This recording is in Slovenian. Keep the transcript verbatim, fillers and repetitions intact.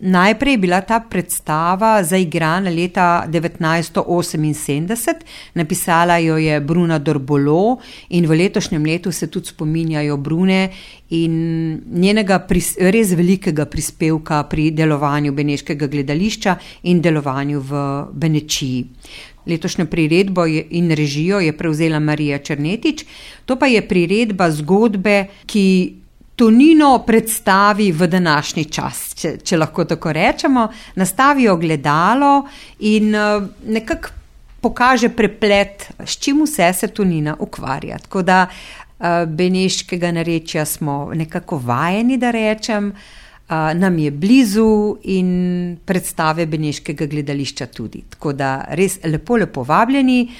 Najprej je bila ta predstava zaigrana leta devetnajststo oseminsedemdeset, napisala jo je Bruna Dorbolo in v letošnjem letu se tudi spominjajo Brune in njenega pris, res velikega prispevka pri delovanju beneškega gledališča in delovanju v Benečiji. Letošnjo priredbo in režijo je prevzela Marija Černetič, to pa je priredba zgodbe, ki Tonino predstavi v današnji čas, če, če lahko tako rečemo, nastavi ogledalo in nekako pokaže preplet, s čim vse se Tonina ukvarja. Tako da beneškega narečja smo nekako vajeni, da rečem, nam je blizu in predstave beneškega gledališča tudi. Tako da res lepo, lepo vabljeni.